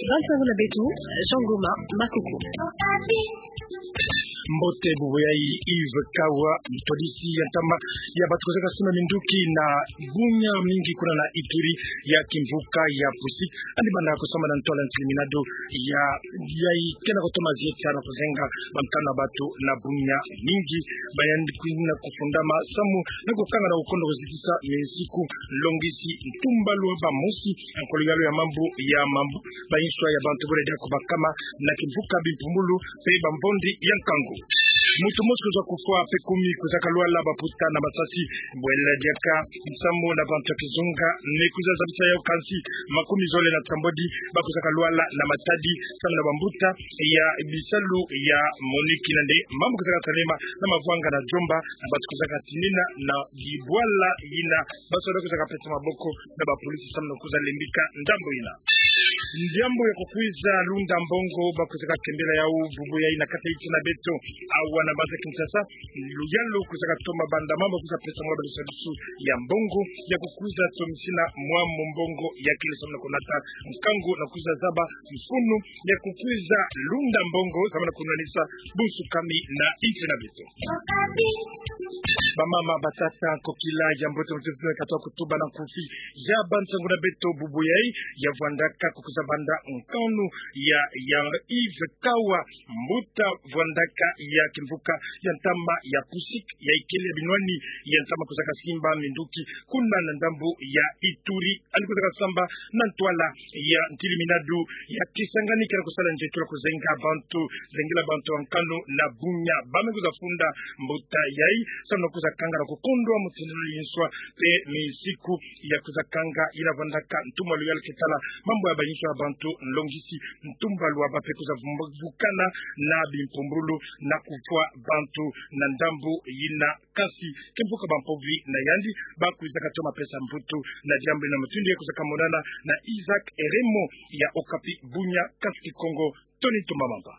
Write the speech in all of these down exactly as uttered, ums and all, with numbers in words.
Ba nsangu na beto, Jean Ngoma Makoko. Mbote, bubu yayi Yves Kawa, mtwadisi ya ntama ya bato kozeka simba minduki na bunya mingi kuna na Ituri, ya kimvuka ya Pusik, yandi banda kosamba na ntwala ntili minado ya, yayi ke na kotoma zieta na kozenga bankanu na bato na bunya mingi. Ba yandi kwenda kofundama samu na kokanga na kokondo kozitisa minsiku, longisi ntumba lwa bamosi, nkolo yalo ya mambu ya mambu, ba inswa ya bantu bole dia kobakama na kimvuka bimpumbulu mpe bambondi ya nkangu. Moto mosi kozwa kufwa mpe kumi kozaka lwala baputa na masasi, bwela diaka nsambu na bantu ya kizunga me kwiza zabisa yau, kansi makumi zole na nsambwadi ba kozaka lwala na matadi samu na bambuta ya bisalu ya MONUC. Nande mambu kozaka salema na Mavwanga na Djomba, na bato kozaka tinina na bibwala yina, basoda kozaka pesa maboko na bapolisi samu na kwiza lembika ndambu yina. Diambu ya kokwiza lunda mbongo ba kozaka kembela yau bubu yayi na kati ya insi na beto, awa na mbanza Kinshasa, luyalu kozaka toma banda mambu kwiza pesa mwa balisadisu ya mbongo ya kokwiza tomisina mwa mombongo ya kele samu na konata nkangu na kwiza zaba mfunu ya kokwiza lunda mbongo samu na konwanisa bunsukami na insi na beto. Bamama, batata, nkokila ya mbote, mutezi na katoa kutuba na nkufi ya ba nsangu na beto bubu yayi, ya vwandaka kokwiza banda nkanu ya, ya Yves Kawa, mbuta vwandaka ya kimvuka ya ntama ya Pusik, ya ikele ya binwani ya ntama kozaka simba minduki kuna na ndambu ya Ituri. Yandi kozaka samba na ntwala ya ntili minado ya Kisangani, ke na kosala nzietolo kozenga bantu, zengela bantu ya nkanu na bunya. Ba me kwiza funda mbuta yayi samu na kwiza kanga na kokondwa mutindu ya inswa mpe minsiku ya kwiza kanga yina vwandaka ntumwa luyalu ke tala mambu ya ba inswa ya bantu, nlongisi ntumba lwa ba mpe kwiza vumbu-, vukana na bimpumbulu na kufwa bantu na ndambu yina. Kansi kimvuka bampovi na yandi ba kwiza katoma pesa mvutu na diambu yina. Mutindu ya kwiza kamonana na Isaac Eremo ya Okapi bunya, kansi Kikongo, Tony Tumba Mamba.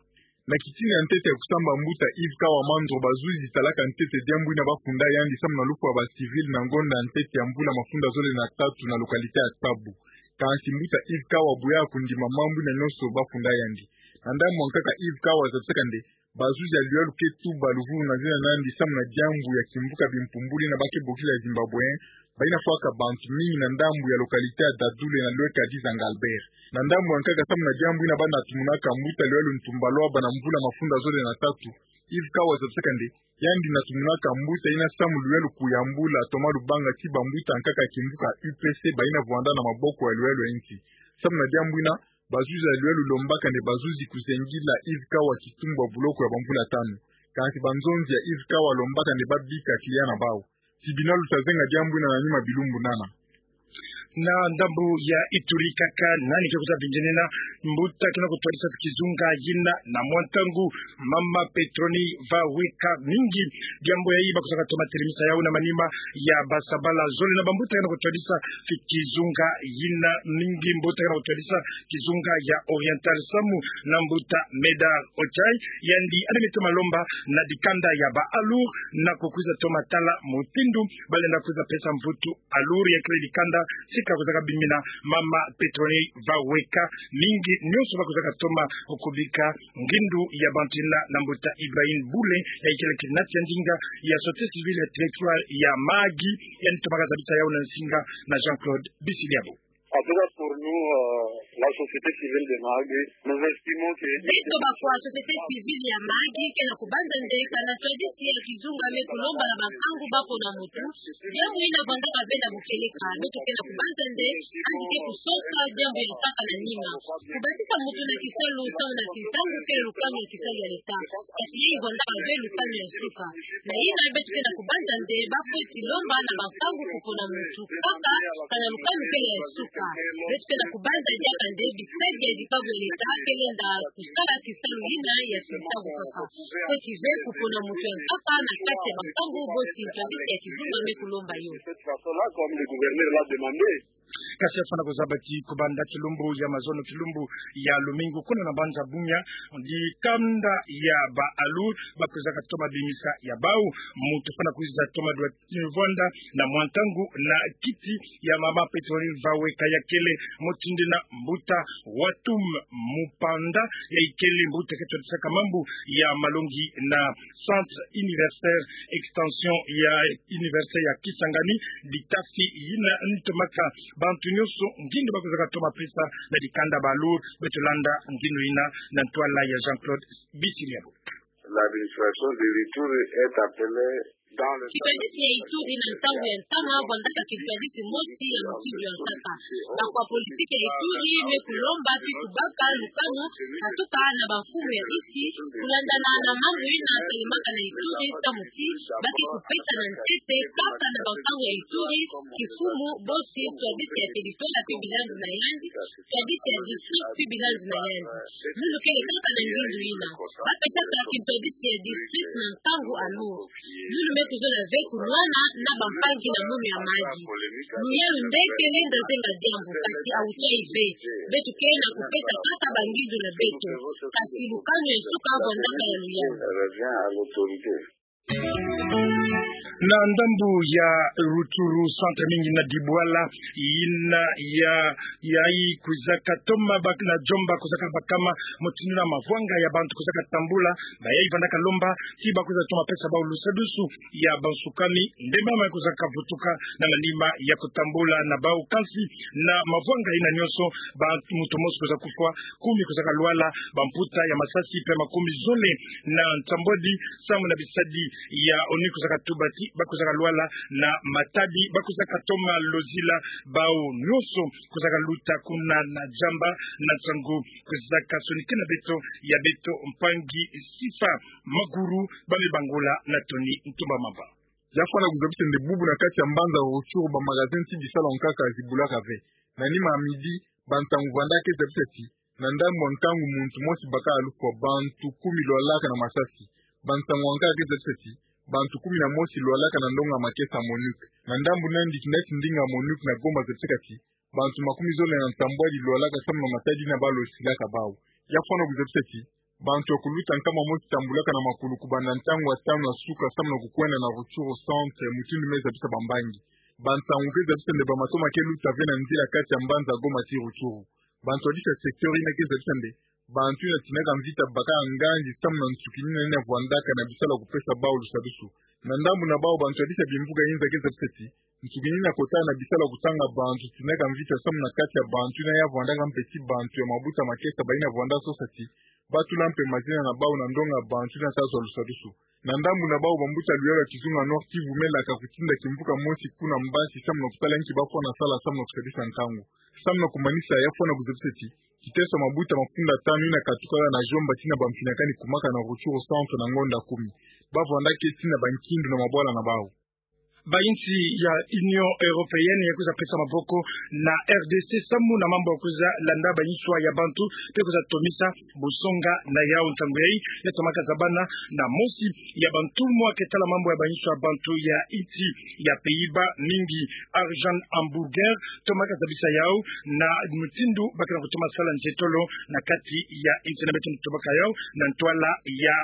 Na kitina ya ntete ya kosamba mbuta Yves Kawa Mandro, bazuzi talaka ntete diambu yina ba funda yandi samu na lufwa ba civil na ngonda ya ntete ya mvula mafunda zole na tatu na localité ya Tabu. Kansi mbuta Yves Kawa aboyaka kondima mambu yina nyonso ba funda yandi. Na ndambu ya nkaka, Yves Kawa azabisaka nde bazuzi ya luyalu ke tuba luvunu na zina na yandi samu na diambu ya kimvuka bimpumbulu yina ba ke bokila Zimbabwéen, bayina fwaka bantu mingi na ndambu ya localité ya Dadule na lweka Dizanga Albert. Na ndambu ya nkaka, samu na diambu yina ba na tumunaka mbuta luyalu ntumba lwa ba na mvula mafunda zole na tatu, Yves Kawa azabisaka nde yandi na tumunaka mbuta yina samu luyalu kuyambula, toma lubanga ti bambuta nkaka ya kimvuka U P C bayina vwanda na maboko ya luyalu ya insi. Samu na diambu yina, bazuzi ya luyalu lombaka nde bazuzi kuzengila Yves Kawa kitumbu ya buloko ya bamvula tanu. Kansi banzonzi ya Yves Kawa lombaka nde ba bika client na bau. Si bina luta zenga diambu yina na nima bilumbu nana. Na ndambu ya Ituri kaka, nani ke kwiza bingenena mbuta ke na kotwadisa kizunga yina na mwa ntangu, mama Petroni Vaweka Mingi. Diambu yayi ba kwizaka toma telemisa yawu na manima ya basabala zole na bambuta ke na kotwadisa kizunga yina. Mingi mbuta ke na kotwadisa kizunga ya Oriental samu na mbuta Medard Ochai, yandi yandi me toma lomba na dikanda ya ba Alour na kokwiza toma tala mutindu ba lenda kwiza pesa mvutu Alour ya kele dikanda. Sika kwizaka bimbina mama Petroni Vaweka Mingi, nyonso ba kwizaka toma kubika ngindu ya bantu yina na mbuta Ibrahim Bule, ya ikele coordinateur ya ndinga ya société civile ya territoire ya Mahagi, yandi tomaka zabisa yawu na nsinga na Jean-Claude Bisiliabo. En tout cas, pour nous, euh, la société civile de Mahagi, nous estimons que... Beto bakwa société civile ya Mahagi, ke na kubanza nde kana twadisi ya kizunga me kulomba na bankangu ba pona mutu, diambu yina vwandaka ve na bukeleka. Beto ke na kubanza nde yandi ke kusosa diambu ya nkaka na nima. Kubatisa mutu na kisalu samu na kintangu kele lukanu ya kisalu ya leta. Kasi yayi vwandaka ve lukanu ya suka. Na yina beto ke na kubanza nde ba fweti lomba na bankangu kupona mutu kaka kana lukanu kele ya suka. Beto ke na kubanza diaka nde bisadi ya dikabu ya leta ke lenda kusala kisalu yina ya kintangu kaka. Fweti ve kupona mutu ya nkaka na kati ya bankangu boti twadisi ya kizunga me kulomba yo. Cette façon-là, comme le gouverneur l'a demandé. Kasi ya fwana kuzaba ti kubanda kilumbu ya mazono, kilumbu ya lumingu, kuna na mbanza Bunia, dikanda ya ba Alur bakwizaka toma bimisa ya bau. Muntu fwana kwiza toma dua ti vwanda na mwa ntangu na kiti ya mama Pétronille Vawe Kayakele, mutindu na mbuta Watum Mupanda, ya ikele mbuta ke twadisaka mambu ya malongi na Centre Universitaire Extension ya Université ya Kisangani, ditafi yina ntomaka bantu nyonso ngindu bakwizaka toma pesa na dikanda ba Alur. Beto landa ngindu yina na ntwala ya Jean-Claude Bisilia. L'administration de l'Ituri est appelée dans le... Kintwadisi ya Ituri na ntangu ya ntama vwandaka kintwadisi mosi ya mutindu ya nkaka. Bakwa politiki ya Ituri me kulomba pi kubaka lukanu katuka na bamfumu ya insi, kulandana na mambu yina salemaka na Ituri, samu ti ba ke kupesa na ntete kaka na bankangu ya Ituri, kimfumu, bosi, ntwadisi ya territoire pe bilandu na yandi, ntwadisi ya district pe bilandu na yandi. Lulu kele kaka na ngindu yina. Ba pesaka kintwadisi ya district na ntangu Alur. Lulu me kuzola ve kunwana na bampangi na munu ya madi. Luyalu nde ke lenda zenga diambu, kasi awutwayi ve. Beto ke na kupesa kaka bangindu na beto. Kasi lukanu ya nsuka vwandaka ya luyalu. Na ndambu ya Rutshuru, centre mingi na dibwala yina ya, yayi kwizaka toma bak-, na jomba kwizaka bakama, mutindu na mavwanga ya bantu kwizaka tambula, bayayi vandaka lomba ti bakwiza toma pesa bau lusadusu ya bansukami, nde mama kwizaka vutuka na manima ya kutambula na bau. Kansi na mavwanga yina nyonso, ba muntu mosi kwiza kufwa, kumi kwizaka lwala, bamputa ya masasi pe makumi zole na nsambwadi samu na bisadi ya ONU kwizaka tuba ti bakwizaka lwala, na matadi bakwizaka toma lozila bau nyonso kwizaka luta kuna na jamba. Na nsangu kwizaka sonikina beto ya beto mpangi Sifa Maguru, ba me bangula na Tony Ntumba Mamba. Ya fwana kuzabisa nde bubu na kati ya mbanza Rutshuru, ba magasin ti bisalu ya nkaka zibulaka ve. Na nima ya midi, bansangu vwandaka zabisa ti na ndambu ya nkangu muntu mosi baka lufwa, bantu kumi lwalaka na masasi. Bansangu ya nkaka zabisa ti bantu kumi na mosi lwalaka na ndonga makesa MONUC. Na ndambu nandi, kintwadisi ndinga MONUC na Goma zabisaka ti bantu makumi zole na nsambwadi lwalaka samu na matadi yina ba losilaka bau. Ya fwana kuzabisa ti bantu ya kuluta nkama mosi tambulaka na makulu kubanda ntangu ya tanu ya suka samu na kukwenda na Rutshuru centre, mutindu me zabisa bambangi. Bansangu ke zabisa nde bamatoma ke luta ve na nzila kati ya mbanza Goma ti Rutshuru. Bantu ya disa secteur yina ke zabisa nde bantu yina tinaka mvita baka nganzi samu na nsukinina yina vwandaka na bisalu ya kupesa bau lusadusu. Na ndambu na bau, bantu ya disa bimvuka yinza ke zabisa ti nsukinina kota na bisalu ya kutanga bantu tinaka mvita samu na kati ya bantu yina ya vwandaka mpe ti bantu ya mabuta makesa, bayina vwanda sosa ti ba tula mpe mazina na bau na ndonga bantu yina ta zwa lusadusu. Na ndambu na bau, bambuta luyalu ya kizunga Nord-Kivu melaka kutinda kimvuka mosi kuna Mbasi samu na kutala inki ba fwana sala samu na kusadisa nkangu. Samu na kumanisa, ya fwana kuzabisa ti kiteso ya mabuta mafunda tanu yina katukaka na jomba tina bamfinakani kumaka na Rutshuru centre na ngonda kumi. Ba vwandaka tina bankindu na mabwala na bau. Bayinsi ya Union Européenne ya kwiza pesa maboko na R D C samu na mambu ya kwiza landa bayinswa ya bantu pe kwiza tomisa busonga na yau. Nsangu yayi ya tomaka zabana na mosi ya bantumwa ke tala mambu ya bayinswa ya bantu ya insi ya Pays-Bas mingi, Arjan Hamburger, tomaka zabisa yau na mutindu ba ke na kutoma sala nzietolo na kati ya insi. Na beto tobaka yau na ntwala ya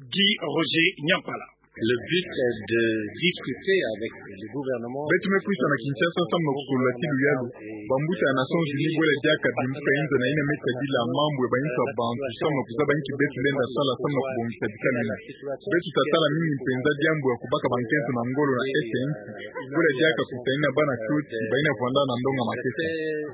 Guy Roger Nyampala. Le but est de discuter avec le gouvernement. Beto me kwisa na Kinshasa samu na kusolula ti luyalu bambuta ya Nations Unies bwela diaka bimbuka yinza na yina me tadila mambu ya bayinswa ya bantu samu na kuzaba inki beto lenda sala samu na kubongisa bisalu yina. Beto ta tala mingi mpenza diambu ya kubaka bankento na ngolo na est ya insi, bwela diaka kusanina bana kioti bayina vwanda na ndonga makesa.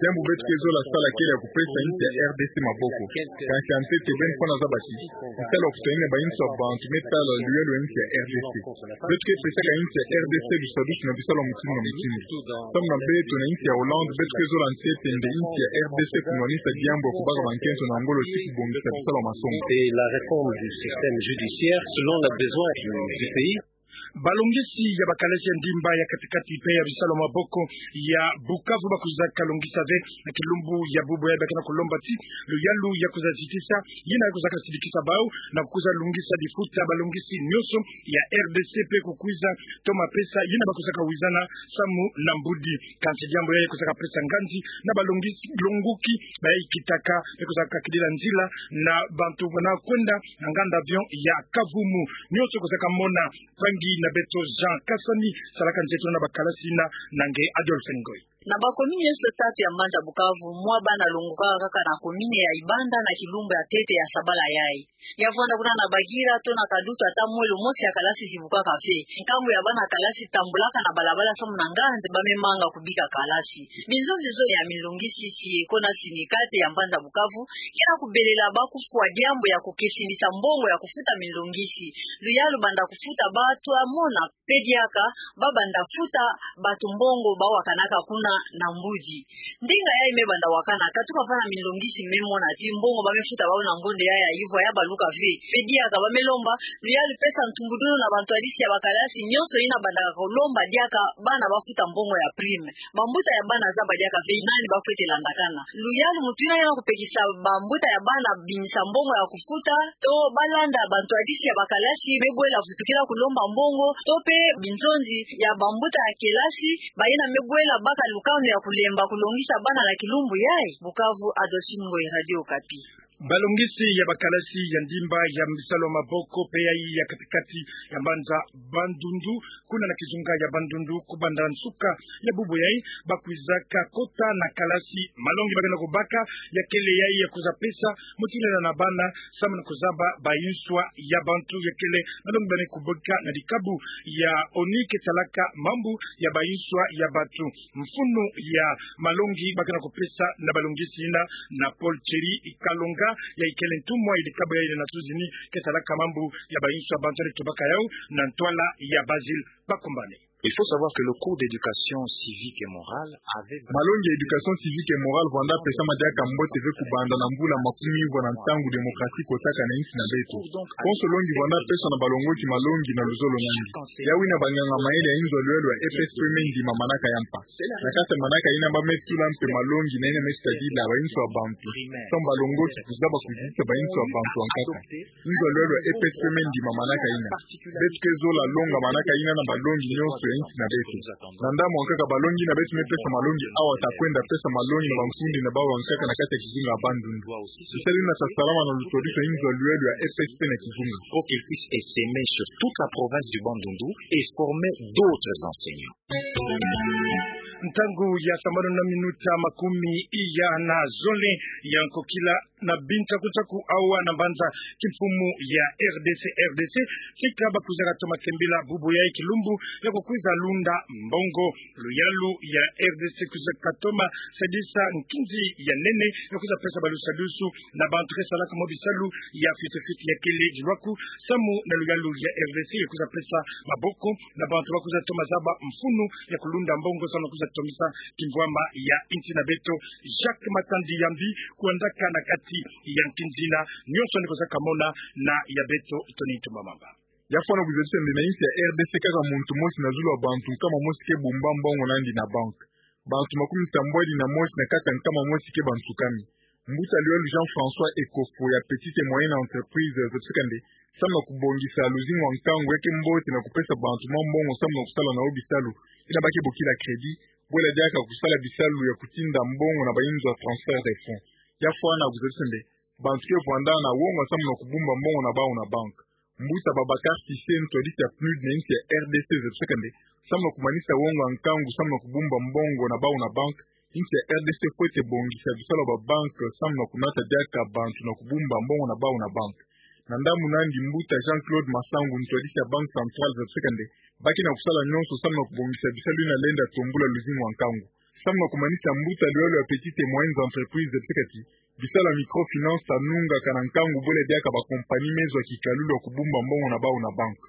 Diambu beto ke zola sala kele ya kupesa insi ya R D C maboko. Kansi ya ntete, beno fwana zaba ti bisalu ya kusanina bayinswa ya bantu me tala luyalu ya insi ya R D C. Beto ke pesaka insi ya R D C lusadusu na bisalu ya mutindu na mutindu. Samu na beto na insi ya Hollande, beto ke zola ntete nde insi ya R D C kunwanisa diambu ya kubaka bankento na ngolo ti kubongisa bisalu ya masonga. Et la réforme du système judiciaire selon les besoins du, du pays. Balongisi ya bakalasi ya ndimba ya kati-kati pe ya bisalu ya maboko ya Bukavu bakwizaka longisa ve na kilumbu ya bubu yayi, ba ke na kulomba ti luyalu ya kwiza zitisa yina kwizaka sidikisa bau na kwiza longisa difuta balongisi nyonso ya R D C pe kukwiza toma pesa yina bakwizaka wizana samu na mbudi. Kansi diambu yayi kwizaka pesa nganzi na balongisi longuki bayi kitaka pe kwizaka kidila nzila na bantu bana kwenda na nganda avion ya Kavumu. Nyonso kwizaka mona mpangi na beto Jean Kasami, salaka nzeto na bakalasi yina na nge Adolphe Ngoy. Na bakomini nyonso tatu ya mbanza Bukavu, mwa bana longukaka kaka na komini ya Ibanda na kilumbu ya ntete ya sabala yayi. Ya vwanda kuna na Bagira to na Kadutu, ata mwelo mosi ya kalasi zibukaka ve. Nkangu ya bana kalasi tambulaka na balabala samu na nganzi ba me manga kubika kalasi. Binzonzi zole ya minlongisi si eko na sindikate ya mbanza Bukavu ke na kubelela ba kufwa diambu ya kukesimbisa mbongo ya kufuta minlongisi. Luyalu banda kufuta ba twa mona pe diaka ba banda futa batu mbongo ba wakanaka kuna na mbudi. Ndinga yayi me banda wakana, katuka vana minlongisi me mona ti mbongo ba me futa bau na ngonde yayi ya ivwa ya baluka ve. Pe diaka ba me lomba luyalu pesa ntumbudulu na bantwadisi ya bakalasi nyonso yina banda kulomba diaka bana ba futa mbongo ya prime. Bambuta ya bana zaba diaka ve nani ba fwete landakana. Luyalu mutu yina ke na kupekisa bambuta ya bana binisa mbongo ya kufuta to ba landa bantwadisi ya bakalasi me bwela vutukila kulomba mbongo, to pe binzonzi ya bambuta ya kelasi bayina me bwela baka lukanu ya kulemba kulongisa bana na kilumbu yayi. Bukavu, Adolphine Ngoy, Radio Okapi. Balongisi ya bakalasi ya ndimba ya bisalu ya maboko pe yayi ya kati-kati ya mbanza Bandundu, kuna na kizunga ya Bandundu, kubanda nsuka ya bubu yayi, bakwizaka kota na kalasi. Malongi ba ke na kubaka ya kele yayi ya kwiza pesa mutindu yina na bana samu na kuzaba bayinswa ya bantu. Ya kele malongi ba me kubaka na dikabu ya ONU ke salaka mambu ya bayinswa ya bantu. Mfunu ya malongi ba ke na kupesa na balongisi yina na Paul Thierry Kalonga, yayi kele ntumwa ya dikabu yayi na Nations Unies ke salaka mambu ya bayinswa ya bantu, ale tubaka yau na ntwala ya Basile. Bakumbane. Il faut savoir que le cours d'éducation civique et morale avait... Malongi ya éducation civique et morale vwanda pesama diaka mbote ve kubanda na mvula makumi ivwa na ntangu démocratie kotaka na insi na beto. Konso longi vwanda peswa na balongoki malongi na luzolo na yandi. Yawu yina banganga mayele ya inzo ya luyalu ya E P S P me ndima manaka ya mpa. Na kati ya manaka yina ba me tula mpe malongi na yina me tadila bayinswa ya bantu samu balongoki kuzaba kuzitisa bayinswa ya bantu ya nkaka. Inzo ya luyalu ya E P S P me ndima manaka yina. Beto ke zola longa manaka yina na balongi nyonso ya insi na beto. Na ndambu ya nkaka, balongi yina beto me pesa malongi awa ta kwenda pesa malongi na bankundi na bau ya nkaka na kati ya kizunga ya Bandundu. Bisalu yina ta salama na lutwadisi ya inzo ya luyalu ya E P S P na kizunga. Pour qu'il puisse essaimer sur toute la province du Bandundu et former d'autres enseignants. Ntangu ya sambanu na minuta makumi iya na zole ya nkokila, na bintaku-ntaku awa na mbanza kimfumu ya R D C, R D C, sika bakwizaka toma kembila bubu yayi kilumbu ya kukwiza lunda mbongo. Luyalu ya R D C kwizaka toma sadisa nkinzi ya nene ya kwiza pesa balusadusu na bantu ke salaka mwa bisalu ya fioti-fioti. Ya kele dilwaku samu na luyalu ya R D C ya kwiza pesa maboko na bantu ba kwiza toma zaba mfunu ya kulunda mbongo samu na kwiza tomisa kimvwama ya insi na beto. Jacques Matandi Yambi kwendaka na kati ya nkinzi yina, nyonso yandi kwizaka mona na ya beto Tony Ntumba Mamba. Ya fwana kuzabisa nde na insi ya R D C kaka muntu mosi na zulu ya bantu nkama mosi ke bumba mbongo na yandi na banque. Bantu makumi sambwadi na mosi na kati ya nkama mosi ke bansukami. Mbuta luyalu Jean-François Ekofo ya Petites et Moyennes Entreprises zabisaka nde samu na kubongisa luzingu ya nkangu ya ke mbote na kupesa bantu mwa mbongo samu na kusala na yo bisalu, yina ba ke bokila crédit, bwela diaka kusala bisalu ya kutinda mbongo na bayinzo ya transfert de fonds. Ya fwana kuzabisa nde bantu ke vwanda na wonga samu na kubumba mbongo na bau na banque. Mbuta Babacar Cissé, ntwadisi ya PNUD na insi ya R D C, zabisaka nde samu na kumanisa wonga nkangu samu na kubumba mbongo na bau na banque, insi ya R D C fwete bongisa bisalu ya babanque samu na kunata diaka bantu na kubumba mbongo na bau na banque. Na ndambu na yandi, mbuta Jean-Claude Masangu, ntwadisi ya Banque Centrale, zabisaka nde ba ke na kusala nyonso samu na kubongisa bisalu yina lenda tombula luzingu ya nkangu. Samu na kumanisa, mbuta luyalu ya Petites et Moyennes Entreprises zabisaka ti Bisalu ya microfinance ta nungaka na nkangu bwela diaka ba compagnie me zwa kikalulu ya kubumba mbongo na bau na banque.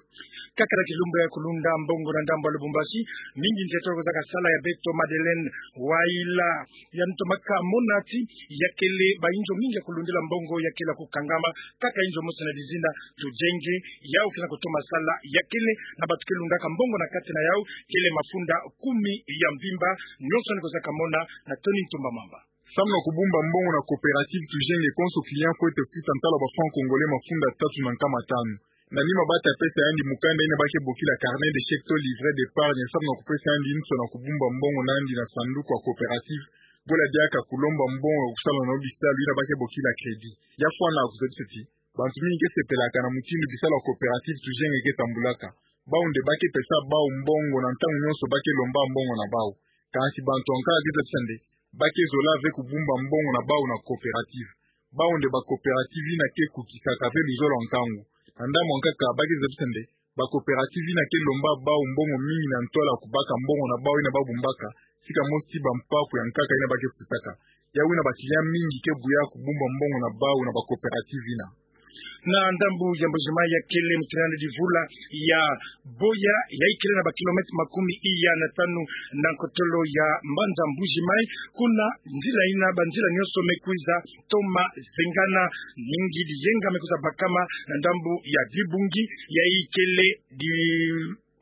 Kaka na kilumbu ya kulunda mbongo na ndambu ya Lubumbashi, mingi nzia toko zaka sala ya beto Madeleine Waila, ya ntomaka mona ti ya kele ba inzo mingi ya kulundila mbongo ya kele ya kukangama, kaka inzo mosi na dizina Tujenge, yau kele na kutoma sala ya kele na batu ke lundaka mbongo na kati na yau, kele mafunda kumi ya mvimba. Nionso ni kozaka mona na Tony Ntumba Mamba. Samu na kubumba mbongo na coopérative Tujenge, konso client fwete kusa ntalo ya ba francs congolais mafunda tatu na nkama tanu. Na nima bata pesa yandi mukanda ina ba ke bokila carnet de chèque to livret d'épargne, samu na kupesa yandi inso na kubumba mbongo na yandi na sanduku ya coopérative, bwela diaka kulomba mbongo ya kusala na yo bisalu ina ba ke bokila crédit. Ya fwana kuzabisa ti bantu mingi ke sepelaka na mutindu bisalu ya coopérative Tujenge ke tambulaka. Bau nde ba ke pesa bau mbongo na ntangu nionso ba ke lomba mbongo na bau. Kansi bantu ya nkaka ke zabisa nde ba ke zola ve kubumba mbongo na bau na coopérative. Bau nde ba coopérative ina ke kukisaka ve luzolo ya nkangu. Na ndambu ya nkaka ba ke zabisa nde ba coopérative ina ke lomba bau mbongo mingi na ntwala ya kubaka mbongo na bau ina ba bumbaka, sika mosi ti ba mpaku ya nkaka ina ba ke futaka. Yau ina ba client mingi ke buya kubumba mbongo na bau na ba coopérative ina. Na ndambu ya Mbuji-Mayi, ya kele mutindu divula ya Boya, ya ikele na ba kilomètre makumi iya na tanu na nkotolo ya mbanza Mbuji-Mayi. Kuna nzila ina ba nzila nionso me kwiza toma zengana, mingi diyenga me kwiza bakama na ndambu ya Dibungi, ya ikele di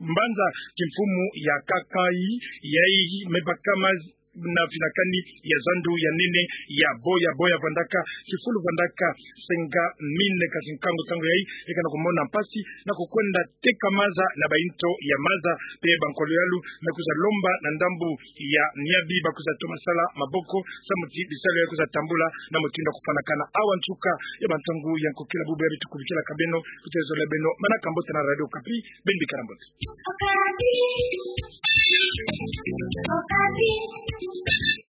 mbanza kimfumu ya Kakai, ya i me bakama na finakani ya zandu ya nene ya Boya. Boya vandaka, kifulu vandaka senga mine. Kasi nkangu ntangu yayi, yeka na kumona mpasi na kukwenda teka maza na ba into ya maza, pe ba nkolo yalu me kwiza lomba na ndambu ya Niabi ba kwiza toma sala maboko, samu ti bisalu ya kwiza tambula na mutindu ya kufwanakana. Awa nsuka ya ba ntangu ya nkokila bubu ya beto kubikilaka beno, kutezola beno manaka mbote na Radio Okapi, beno bikala mbote.